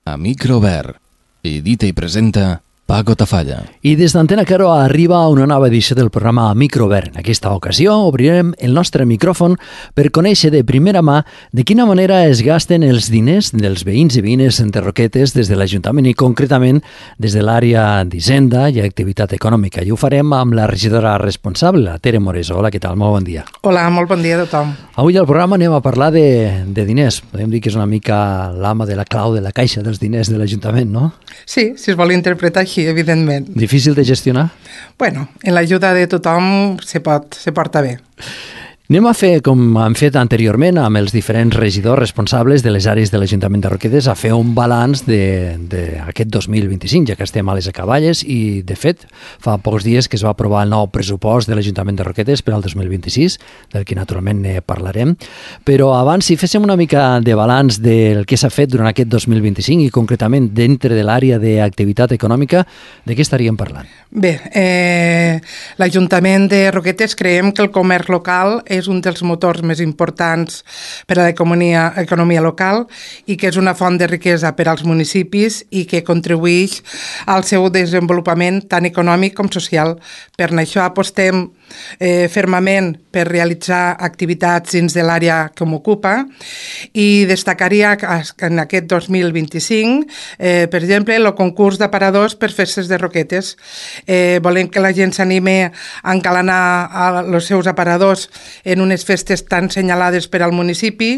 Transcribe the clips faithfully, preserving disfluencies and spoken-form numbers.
A micro obert. Edita i presenta Paco Tafalla. I des d'Antena Caro arriba una nova edició del programa Micro Obert. En aquesta ocasió obrirem el nostre micròfon per conèixer de primera mà de quina manera es gasten els diners dels veïns i veïnes de Roquetes des de l'Ajuntament i concretament des de l'àrea d'Hisenda i Activitat Econòmica. I ho farem amb la regidora responsable, la Tere Moreso. Hola, què tal? Molt bon dia. Hola, molt bon dia a tothom. Avui al programa anem a parlar de, de diners. Podem dir que és una mica l'ama de la clau de la caixa dels diners de l'Ajuntament, no? Sí, si es vol interpretar així, evidentment. Difícil de gestionar? Bueno, en l'ajuda de tothom se pot, se porta bé. Anem a fer, com hem fet anteriorment amb els diferents regidors responsables de les àrees de l'Ajuntament de Roquetes, a fer un balanç d'aquest dos mil vint-i-cinc, ja que estem a les acaballes i, de fet, fa pocs dies que es va aprovar el nou pressupost de l'Ajuntament de Roquetes per al dos mil vint-i-sis, del que naturalment ne parlarem. Però abans, si féssim una mica de balanç del que s'ha fet durant aquest dos mil vint-i-cinc i concretament dintre de l'àrea d'activitat econòmica, de què estaríem parlant? Bé, eh, l'Ajuntament de Roquetes creiem que el comerç local és un dels motors més importants per a l'economia economia local i que és una font de riquesa per als municipis i que contribueix al seu desenvolupament tant econòmic com social. Per això apostem eh, fermament per realitzar activitats dins de l'àrea que m'ocupa i destacaria que en aquest dos mil vint-i-cinc, eh, per exemple, el concurs d'aparadors per festes de Roquetes. Eh, volem que la gent s'anime a encalanar els seus aparadors en unes festes tan senyalades per al municipi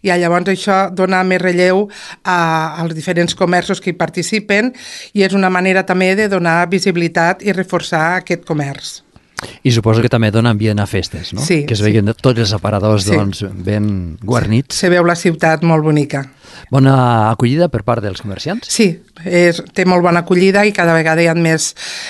i llavors això dona més relleu a, als diferents comerços que hi participen i és una manera també de donar visibilitat i reforçar aquest comerç. I suposo que també dona ambient a festes, no? Sí. Que es sí. veien tots els aparadors sí. doncs, ben guarnits. Se veu la ciutat molt bonica. Bona acollida per part dels comerciants? Sí, és, té molt bona acollida i cada vegada hi ha més,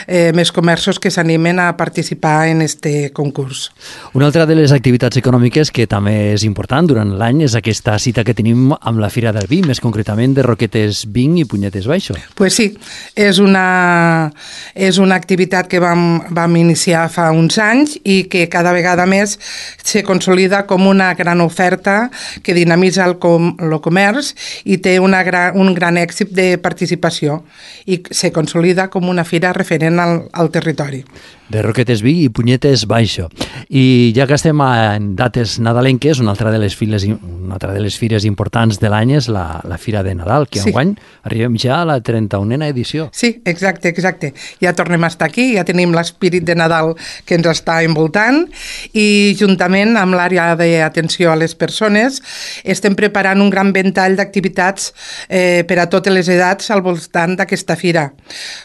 eh, més comerços que s'animen a participar en este concurs. Una altra de les activitats econòmiques que també és important durant l'any és aquesta cita que tenim amb la Fira del Vi, més concretament de Roquetes Vinc i Punyetes Baixo. Pues sí, és una, és una activitat que vam, vam iniciar fa uns anys i que cada vegada més se consolida com una gran oferta que dinamitza el, com, el comerç i té una gran, un gran èxit de participació i se consolida com una fira referent al, al territori. De Roquetes Vi i Punyetes Baixo. I ja que estem en dates nadalenques, una altra de les, files, una altra de les fires importants de l'any és la, la Fira de Nadal, que sí. enguany arribem ja a la trenta-unena edició. Sí, exacte, exacte. Ja tornem a estar aquí, ja tenim l'espírit de Nadal que ens està envoltant i juntament amb l'àrea d'atenció a les persones estem preparant un gran ventall d'activitats eh, per a totes les edats al voltant d'aquesta fira,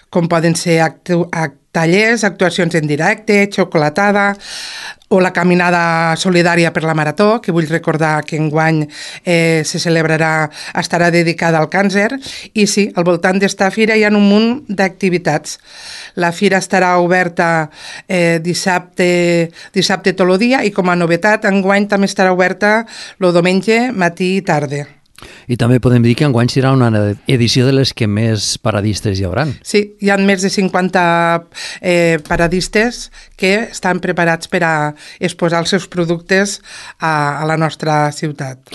com poden ser actu act tallers, actuacions en directe, xocolatada o la caminada solidària per la Marató, que vull recordar que enguany eh, se celebrarà, estarà dedicada al càncer. I sí, al voltant d'esta fira hi ha un munt d'activitats. La fira estarà oberta eh, dissabte, dissabte tot el dia i com a novetat enguany també estarà oberta el diumenge, matí i tarda. I també podem dir que enguany serà una edició de les que més paradistes hi hauran. Sí, hi ha més de cinquanta eh, paradistes que estan preparats per a exposar els seus productes a, a la nostra ciutat.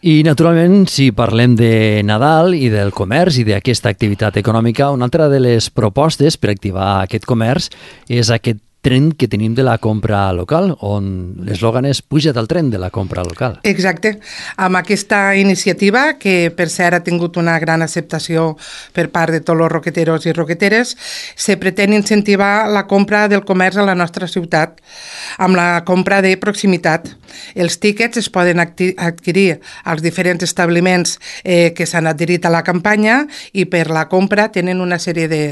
I, naturalment, si parlem de Nadal i del comerç i d'aquesta activitat econòmica, una altra de les propostes per activar aquest comerç és aquest tren que tenim de la compra local, on l'eslògan és puja't al tren de la compra local. Exacte. Amb aquesta iniciativa, que per cert ha tingut una gran acceptació per part de tots els roqueteros i roqueteres, se pretén incentivar la compra del comerç a la nostra ciutat, amb la compra de proximitat. Els tíquets es poden adquirir als diferents establiments eh, que s'han adherit a la campanya i per la compra tenen una sèrie de,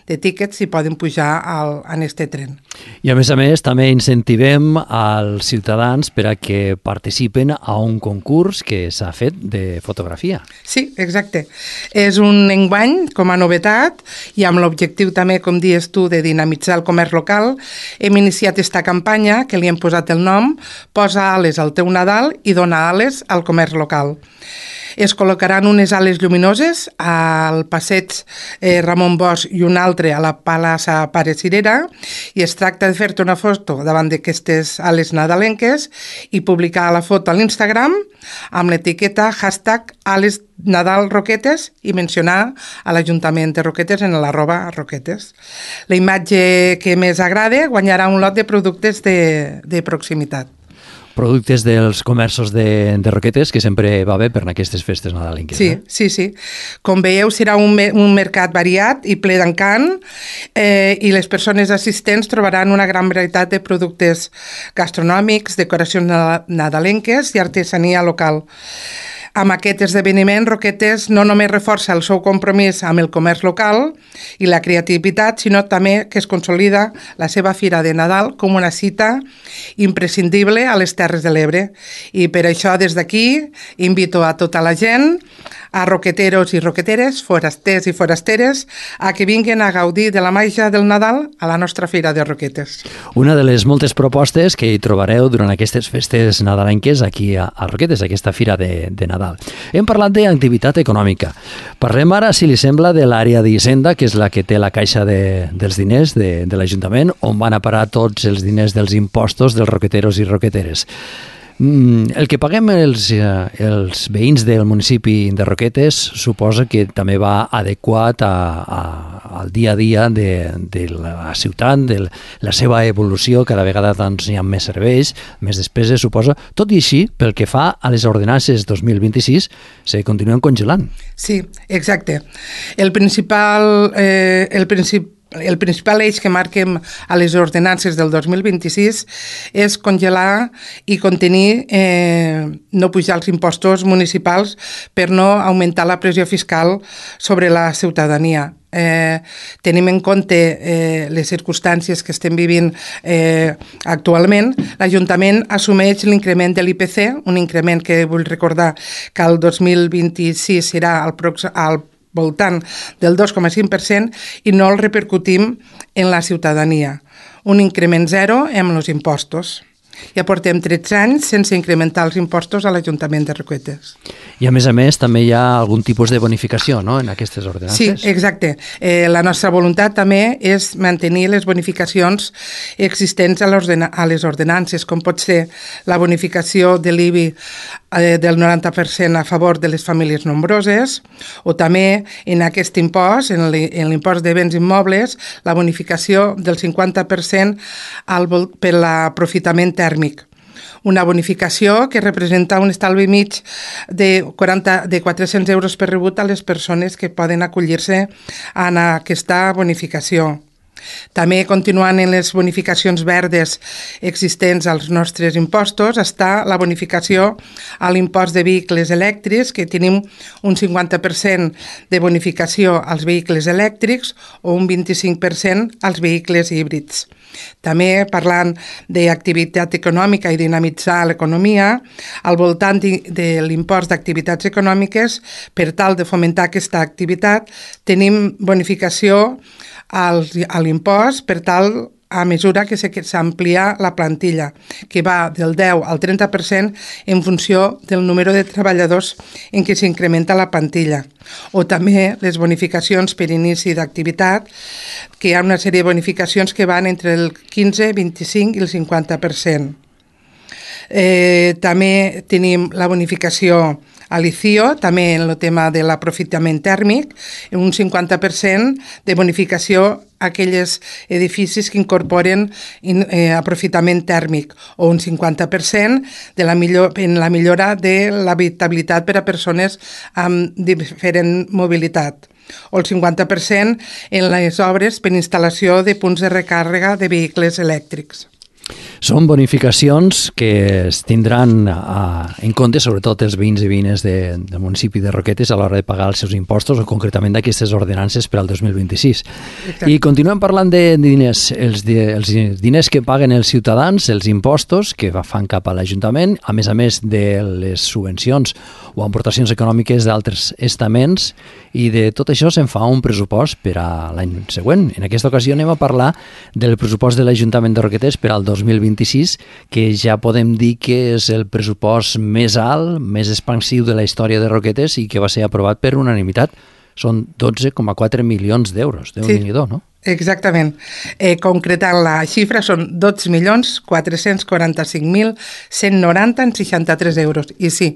de tíquets i poden pujar al, en este tren. I a més a més també incentivem als ciutadans per a que participen a un concurs que s'ha fet de fotografia. Sí, exacte. És un enguany com a novetat i amb l'objectiu també, com dius tu, de dinamitzar el comerç local. Hem iniciat esta campanya que li hem posat el nom Posa ales al teu Nadal i dona ales al comerç local. Es col·locaran unes ales lluminoses al passeig eh, Ramon Bosch i un altre a la plaça Pare Cirera, i es tracta de fer-te una foto davant d'aquestes ales nadalenques i publicar la foto a l'Instagram amb l'etiqueta hashtag ales Nadal Roquetes i mencionar a l'Ajuntament de Roquetes en l'arroba Roquetes. La imatge que més agrada guanyarà un lot de productes de, de proximitat. Productes dels comerços de, de Roquetes, que sempre va bé per aquestes festes nadalenques. Sí, eh? sí, sí. Com veieu, serà un, un mercat variat i ple d'encant, eh, i les persones assistents trobaran una gran varietat de productes gastronòmics, decoracions nadalenques i artesania local. Amb aquest esdeveniment, Roquetes no només reforça el seu compromís amb el comerç local i la creativitat, sinó també que es consolida la seva Fira de Nadal com una cita imprescindible a les Terres de l'Ebre. I per això, des d'aquí, invito a tota la gent, a roqueteros i roqueteres, forasters i forasteres, a que vinguin a gaudir de la màgia del Nadal a la nostra Fira de Roquetes. Una de les moltes propostes que hi trobareu durant aquestes festes nadalenques aquí a, a Roquetes, aquesta Fira de, de Nadal. Hem parlat d'activitat econòmica. Parlem ara, si li sembla, de l'àrea d'Hisenda, que és la que té la caixa de, dels diners de, de l'Ajuntament, on van a parar tots els diners dels impostos dels roqueteros i roqueteres. El que paguem els, els veïns del municipi de Roquetes suposa que també va adequat a, a, al dia a dia de, de la ciutat, de la seva evolució. Cada vegada doncs, hi ha més serveis, més despeses, suposa. Tot i així, pel que fa a les ordenances dos mil vint-i-sis, se continuen congelant. Sí, exacte. El principal... Eh, el principal El principal eix que marquem a les ordenances del dos mil vint-i-sis és congelar i contenir, eh, no pujar els impostos municipals per no augmentar la pressió fiscal sobre la ciutadania. Eh, tenim en compte eh, les circumstàncies que estem vivint eh, actualment. L'Ajuntament assumeix l'increment de l'I P C, un increment que vull recordar que el dos mil vint-i-sis serà al, al voltant del dos coma cinc per cent, i no el repercutim en la ciutadania. Un increment zero amb els impostos. Ja portem tretze anys sense incrementar els impostos a l'Ajuntament de Roquetes. I a més a més també hi ha algun tipus de bonificació, no?, en aquestes ordenances. Sí, exacte. Eh, la nostra voluntat també és mantenir les bonificacions existents a, a les ordenances, com pot ser la bonificació de l'I B I eh, del noranta per cent a favor de les famílies nombroses, o també en aquest impost, en l'impost de béns immobles, la bonificació del cinquanta per cent al, per l'aprofitament tèrmic. Una bonificació que representa un estalvi mig de, quaranta, de quatre-cents euros per rebut a les persones que poden acollir-se a aquesta bonificació. També, continuant en les bonificacions verdes existents als nostres impostos, està la bonificació a l'impost de vehicles elèctrics, que tenim un cinquanta per cent de bonificació als vehicles elèctrics o un vint-i-cinc per cent als vehicles híbrids. També, parlant d'activitat econòmica i dinamitzar l'economia, al voltant de l'impost d'activitats econòmiques, per tal de fomentar aquesta activitat, tenim bonificació a l'impost per tal a mesura que s'amplia la plantilla, que va del deu al trenta per cent en funció del número de treballadors en què s'incrementa la plantilla. O també les bonificacions per inici d'activitat, que hi ha una sèrie de bonificacions que van entre el quinze, vint-i-cinc i el cinquanta per cent. Eh, també tenim la bonificació a l'I C I O, també en el tema de l'aprofitament tèrmic, un cinquanta per cent de bonificació a aquells edificis que incorporen eh, aprofitament tèrmic, o un cinquanta per cent de la millor, en la millora de l'habitabilitat per a persones amb diferent mobilitat, o el cinquanta per cent en les obres per instal·lació de punts de recàrrega de vehicles elèctrics. Són bonificacions que es tindran a, en compte, sobretot els veïns i veïnes de, del municipi de Roquetes a l'hora de pagar els seus impostos, o concretament d'aquestes ordenances per al dos mil vint-i-sis. Exacte. I continuem parlant de diners, els, de, els diners que paguen els ciutadans, els impostos que fan cap a l'Ajuntament, a més a més de les subvencions o aportacions econòmiques d'altres estaments, i de tot això se'n fa un pressupost per a l'any següent. En aquesta ocasió anem a parlar del pressupost de l'Ajuntament de Roquetes per al dos mil vint-i-sis. vint-i-sis, que ja podem dir que és el pressupost més alt, més expansiu de la història de Roquetes i que va ser aprovat per unanimitat. Són dotze coma quatre milions d'euros. Déu-n'hi-do, no? Exactament. Eh, concretant la xifra, són dotze milions quatre-cents quaranta-cinc mil cent noranta coma seixanta-tres euros. I sí,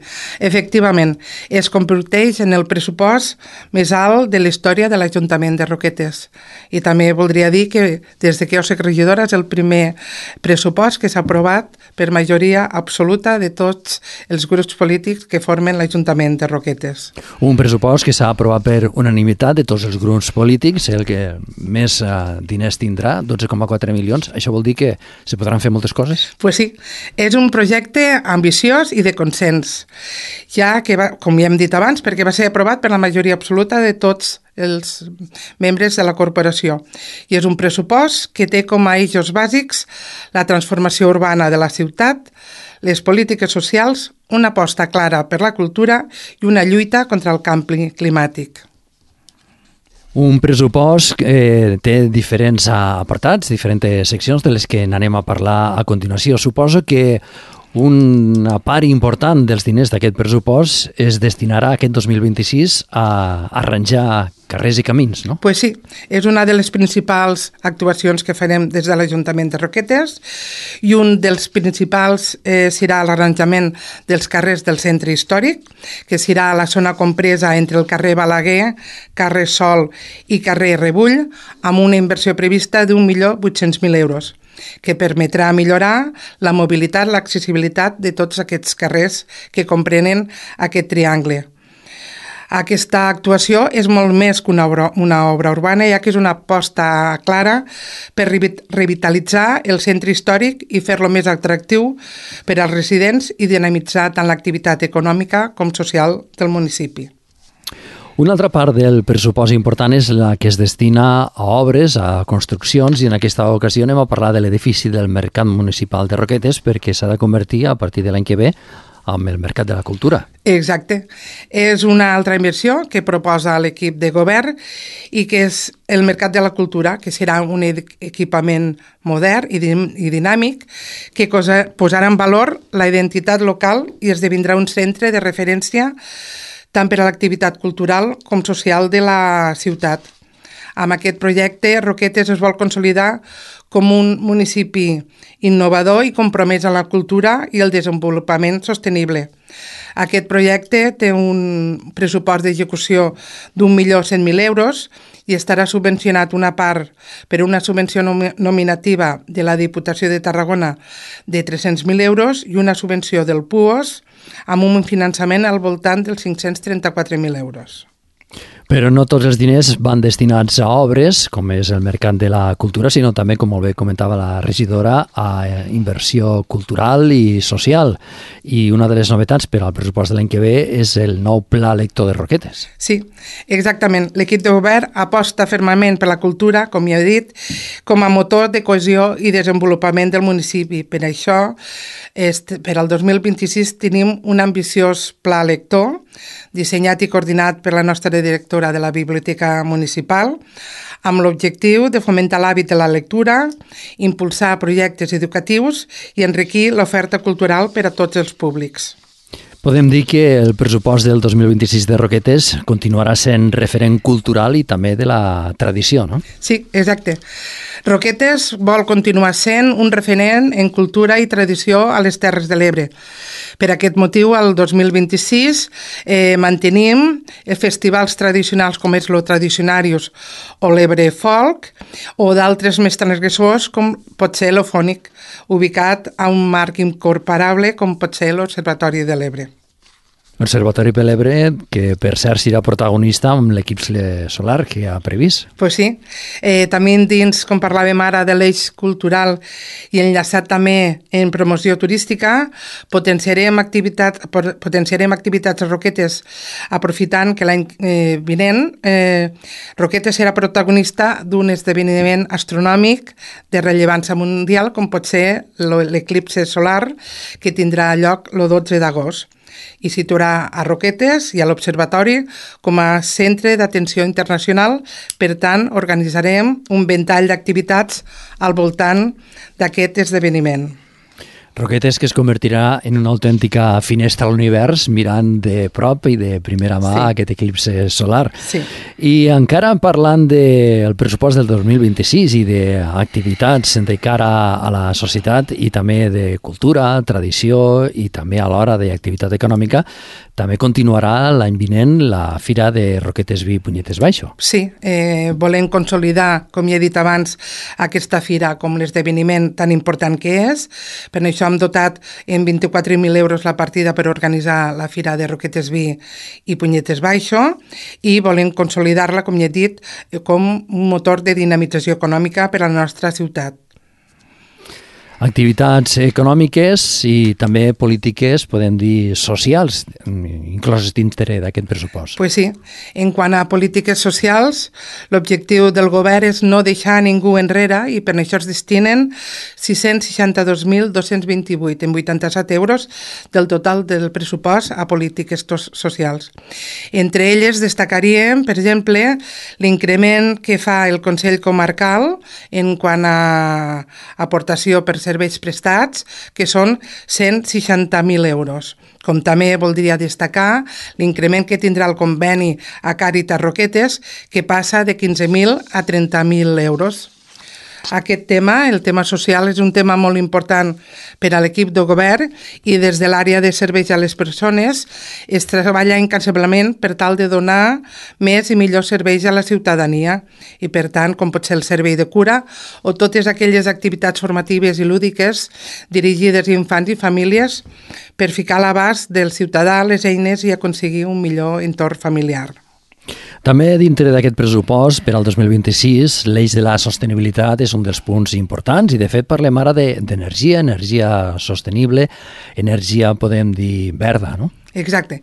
efectivament, es converteix en el pressupost més alt de la història de l'Ajuntament de Roquetes. I també voldria dir que des de que jo soc regidora és el primer pressupost que s'ha aprovat per majoria absoluta de tots els grups polítics que formen l'Ajuntament de Roquetes. Un pressupost que s'ha aprovat per unanimitat de tots els grups polítics, el que més uh, diners tindrà, dotze coma quatre milions. Això vol dir que se podran fer moltes coses? Pues sí, és un projecte ambiciós i de consens, ja que, va, com ja hem dit abans, perquè va ser aprovat per la majoria absoluta de tots els membres de la corporació. I és un pressupost que té com a eixos bàsics la transformació urbana de la ciutat, les polítiques socials, una aposta clara per la cultura i una lluita contra el canvi climàtic. Un pressupost que eh, té diferents apartats, diferents seccions de les que n'anem a parlar a continuació. Suposo que una part important dels diners d'aquest pressupost es destinarà aquest dos mil vint-i-sis a arranjar carrers i camins, no? Pues sí, és una de les principals actuacions que farem des de l'Ajuntament de Roquetes i un dels principals eh, serà l'arranjament dels carrers del centre històric, que serà la zona compresa entre el carrer Balaguer, carrer Sol i carrer Rebull, amb una inversió prevista d'un milió vuit-cents mil euros, que permetrà millorar la mobilitat, l'accessibilitat de tots aquests carrers que comprenen aquest triangle. Aquesta actuació és molt més que una obra, una obra urbana, ja que és una aposta clara per revitalitzar el centre històric i fer-lo més atractiu per als residents i dinamitzar tant l'activitat econòmica com social del municipi. Una altra part del pressupost important és la que es destina a obres, a construccions, i en aquesta ocasió anem a parlar de l'edifici del Mercat Municipal de Roquetes perquè s'ha de convertir a partir de l'any que ve amb el Mercat de la Cultura. Exacte. És una altra inversió que proposa l'equip de govern i que és el Mercat de la Cultura, que serà un equipament modern i dinàmic que posarà en valor la identitat local i esdevindrà un centre de referència tant per a l'activitat cultural com social de la ciutat. Amb aquest projecte, Roquetes es vol consolidar com un municipi innovador i compromès a la cultura i el desenvolupament sostenible. Aquest projecte té un pressupost d'execució d'un milió cent mil euros i estarà subvencionat una part per una subvenció nominativa de la Diputació de Tarragona de tres-cents mil euros i una subvenció del P U O S amb un finançament al voltant dels cinc-cents trenta-quatre mil euros. Però no tots els diners van destinats a obres, com és el Mercat de la Cultura, sinó també, com molt bé comentava la regidora, a inversió cultural i social. I una de les novetats per al pressupost de l'any que ve és el nou Pla Lector de Roquetes. Sí, exactament. L'equip de govern aposta fermament per la cultura, com ja he dit, com a motor de cohesió i desenvolupament del municipi. Per això, per al dos mil vint-i-sis tenim un ambiciós Pla Lector, dissenyat i coordinat per la nostra directora de la Biblioteca Municipal, amb l'objectiu de fomentar l'hàbit de la lectura, impulsar projectes educatius i enriquir l'oferta cultural per a tots els públics. Podem dir que el pressupost del dos mil vint-i-sis de Roquetes continuarà sent referent cultural i també de la tradició, no? Sí, exacte. Roquetes vol continuar sent un referent en cultura i tradició a les Terres de l'Ebre. Per aquest motiu, el dos mil vint-i-sis eh, mantenim festivals tradicionals com és lo Tradicionarius o l'Ebre Folk o d'altres més transgressors com pot ser l'Ofònic, ubicat a un marc incorporable com pot ser l'Observatori de l'Ebre. L'Observatori de l'Ebre, que per cert serà protagonista amb l'eclipsi solar que ha previst. Pues sí. Eh, també dins, com parlàvem ara, de l'eix cultural i enllaçat també en promoció turística, potenciarem, activitat, potenciarem activitats a Roquetes aprofitant que l'any eh, vinent eh, Roquetes serà protagonista d'un esdeveniment astronòmic de rellevància mundial com pot ser l'eclipsi solar que tindrà lloc el dotze d'agost. I situarà a Roquetes i a l'Observatori com a centre d'atenció internacional. Per tant, organitzarem un ventall d'activitats al voltant d'aquest esdeveniment. Roquetes que es convertirà en una autèntica finestra a l'univers mirant de prop i de primera mà sí. aquest eclipse solar. Sí. I encara parlant del pressupost del dos mil vint-i-sis i d'activitats de cara a la societat i també de cultura, tradició i també alhora d'activitat econòmica, també continuarà l'any vinent la Fira de Roquetes Vi Punyetes Baixo. Sí, eh, volem consolidar, com ja he dit abans, aquesta fira com l'esdeveniment tan important que és. Per això hem dotat en vint-i-quatre mil euros la partida per organitzar la Fira de Roquetes Vi i Punyetes Baixo i volem consolidar-la, com ja he dit, com un motor de dinamització econòmica per a la nostra ciutat. Activitats econòmiques i també polítiques, podem dir, socials, incloses dintre d'aquest pressupost. Pues sí. En quant a polítiques socials, l'objectiu del govern és no deixar ningú enrere i per això es destinen sis-cents seixanta-dos mil dos-cents vint-i-vuit en vuitanta-set euros del total del pressupost a polítiques socials. Entre elles destacaríem, per exemple, l'increment que fa el Consell Comarcal en quant a aportació per serveis prestats, que són cent seixanta mil euros. Com també voldria destacar l'increment que tindrà el conveni a Càritas Roquetes, que passa de quinze mil a trenta mil euros. Aquest tema, el tema social, és un tema molt important per a l'equip de govern i des de l'àrea de serveis a les persones es treballa incansablement per tal de donar més i millors serveis a la ciutadania i, per tant, com pot ser el servei de cura o totes aquelles activitats formatives i lúdiques dirigides a infants i famílies per ficar a l'abast del ciutadà les eines i aconseguir un millor entorn familiar. També dintre d'aquest pressupost per al dos mil vint-i-sis, l'eix de la sostenibilitat és un dels punts importants i de fet parlem ara d'energia, energia sostenible, energia podem dir verda, no? Exacte.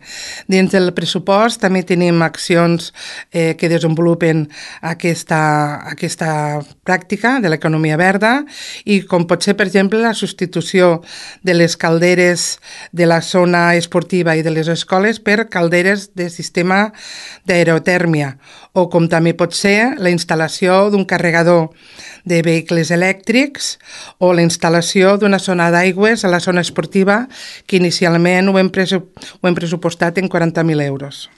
Dins del pressupost també tenim accions eh, que desenvolupen aquesta, aquesta pràctica de l'economia verda i com pot ser, per exemple, la substitució de les calderes de la zona esportiva i de les escoles per calderes de sistema d'aerotèrmia o com també pot ser la instal·lació d'un carregador de vehicles elèctrics o la instal·lació d'una zona d'aigües a la zona esportiva que inicialment ho hem, presu ho hem pressupostat en quaranta mil euros.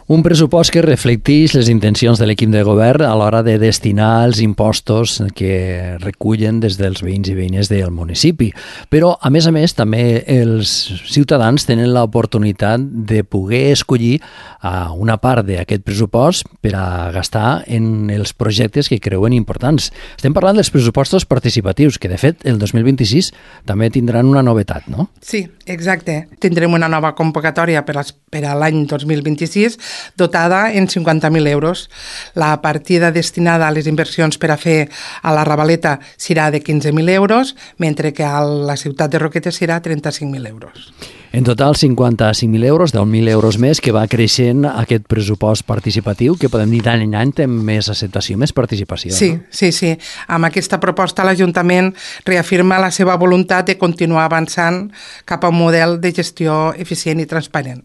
Un pressupost que reflecteix les intencions de l'equip de govern a l'hora de destinar els impostos que recullen des dels veïns i veïnes del municipi. Però, a més a més, també els ciutadans tenen l'oportunitat de poder escollir una part d'aquest pressupost per a gastar en els projectes que creuen importants. Estem parlant dels pressupostos participatius, que de fet el dos mil vint-i-sis també tindran una novetat, no? Sí, exacte. Tindrem una nova convocatòria per a l'any dos mil vint-i-sis dotada en cinquanta mil euros. La partida destinada a les inversions per a fer a la Ravaleta serà de quinze mil euros, mentre que a la ciutat de Roquetes serà trenta-cinc mil euros. En total, cinquanta-cinc mil euros, deu mil euros més, que va creixent aquest pressupost participatiu, que podem dir d'any en any té més acceptació, més participació. Sí, no? sí, sí. Amb aquesta proposta l'Ajuntament reafirma la seva voluntat de continuar avançant cap a un model de gestió eficient i transparent.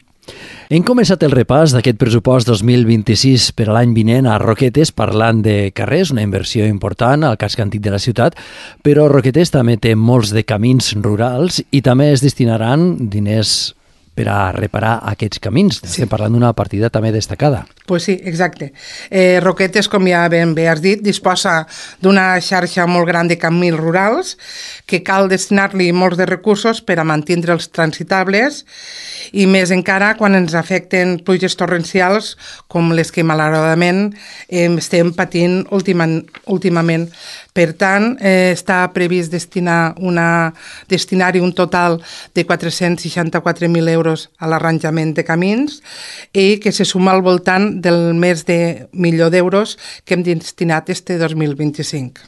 Hem començat el repàs d'aquest pressupost dos mil vint-i-sis per a l'any vinent a Roquetes parlant de carrers, una inversió important al casc antic de la ciutat, però Roquetes també té molts de camins rurals i també es destinaran diners per a reparar aquests camins. Estem parlant d'una partida també destacada. Pues sí, exacte. Eh, Roquetes, com ja ben bé has dit, disposa d'una xarxa molt gran de camins rurals que cal destinar-li molts de recursos per a mantindre'ls transitables i més encara quan ens afecten pluges torrencials com les que malauradament eh, estem patint últimament. últimament. Per tant, eh, està previst destinar una destinar-hi un total de quatre-cents seixanta-quatre mil euros a l'arranjament de camins i que se suma al voltant del més de milió d'euros que hem destinat este dos mil vint-i-cinc.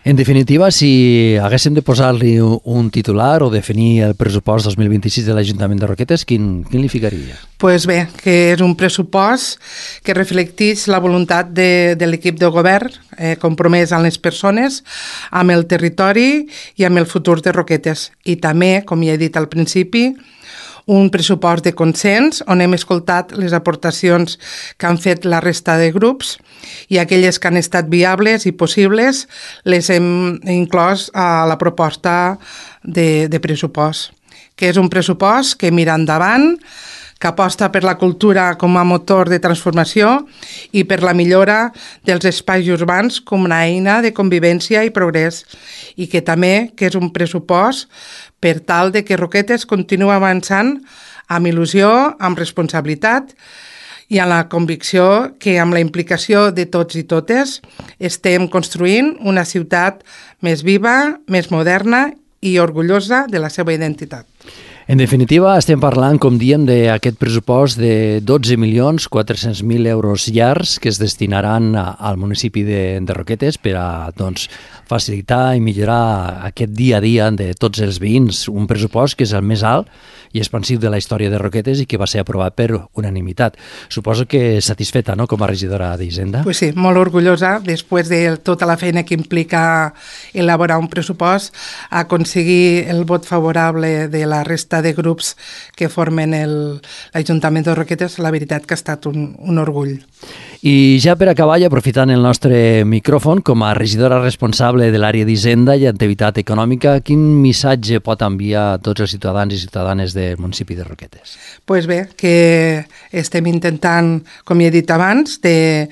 En definitiva, si haguéssim de posar-li un titular o definir el pressupost dos mil vint-i-sis de l'Ajuntament de Roquetes, quin, quin li ficaria? Pues bé, que és un pressupost que reflecteix la voluntat de, de l'equip de govern eh, compromès amb les persones, amb el territori i amb el futur de Roquetes. I també, com ja he dit al principi, un pressupost de consens on hem escoltat les aportacions que han fet la resta de grups i aquelles que han estat viables i possibles les hem inclòs a la proposta de, de pressupost, que és un pressupost que mira endavant, que aposta per la cultura com a motor de transformació i per la millora dels espais urbans com una eina de convivència i progrés, i que també que és un pressupost per tal de que Roquetes continua avançant amb il·lusió, amb responsabilitat i amb la convicció que amb la implicació de tots i totes estem construint una ciutat més viva, més moderna i orgullosa de la seva identitat. En definitiva, estem parlant, com diem, d'aquest pressupost de dotze milions quatre-cents mil euros llargs que es destinaran a, al municipi de, de Roquetes per a doncs, facilitar i millorar aquest dia a dia de tots els veïns. Un pressupost que és el més alt i expansiu de la història de Roquetes i que va ser aprovat per unanimitat. Suposo que satisfeta, no?, com a regidora d'Hisenda. Pues sí, molt orgullosa, després de tota la feina que implica elaborar un pressupost, aconseguir el vot favorable de la resta de grups que formen l'Ajuntament de Roquetes, la veritat que ha estat un, un orgull. I ja per acabar, i aprofitant el nostre micròfon, com a regidora responsable de l'àrea d'Hisenda i activitat econòmica, quin missatge pot enviar a tots els ciutadans i ciutadanes del municipi de Roquetes? Pues bé, que estem intentant, com ja he dit abans, de,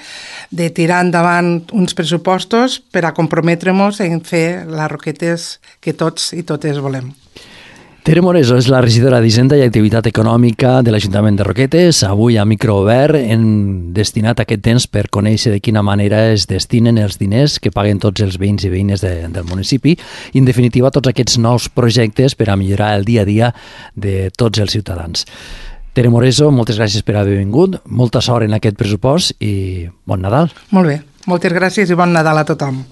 de tirar endavant uns pressupostos per a comprometre-nos en fer les Roquetes que tots i totes volem. Tere Moreso és la regidora d'Hisenda i Activitat Econòmica de l'Ajuntament de Roquetes. Avui a micro obert hem destinat aquest temps per conèixer de quina manera es destinen els diners que paguen tots els veïns i veïnes de, del municipi i, en definitiva, tots aquests nous projectes per a millorar el dia a dia de tots els ciutadans. Tere Moreso, moltes gràcies per haver vingut, molta sort en aquest pressupost i bon Nadal. Molt bé, moltes gràcies i bon Nadal a tothom.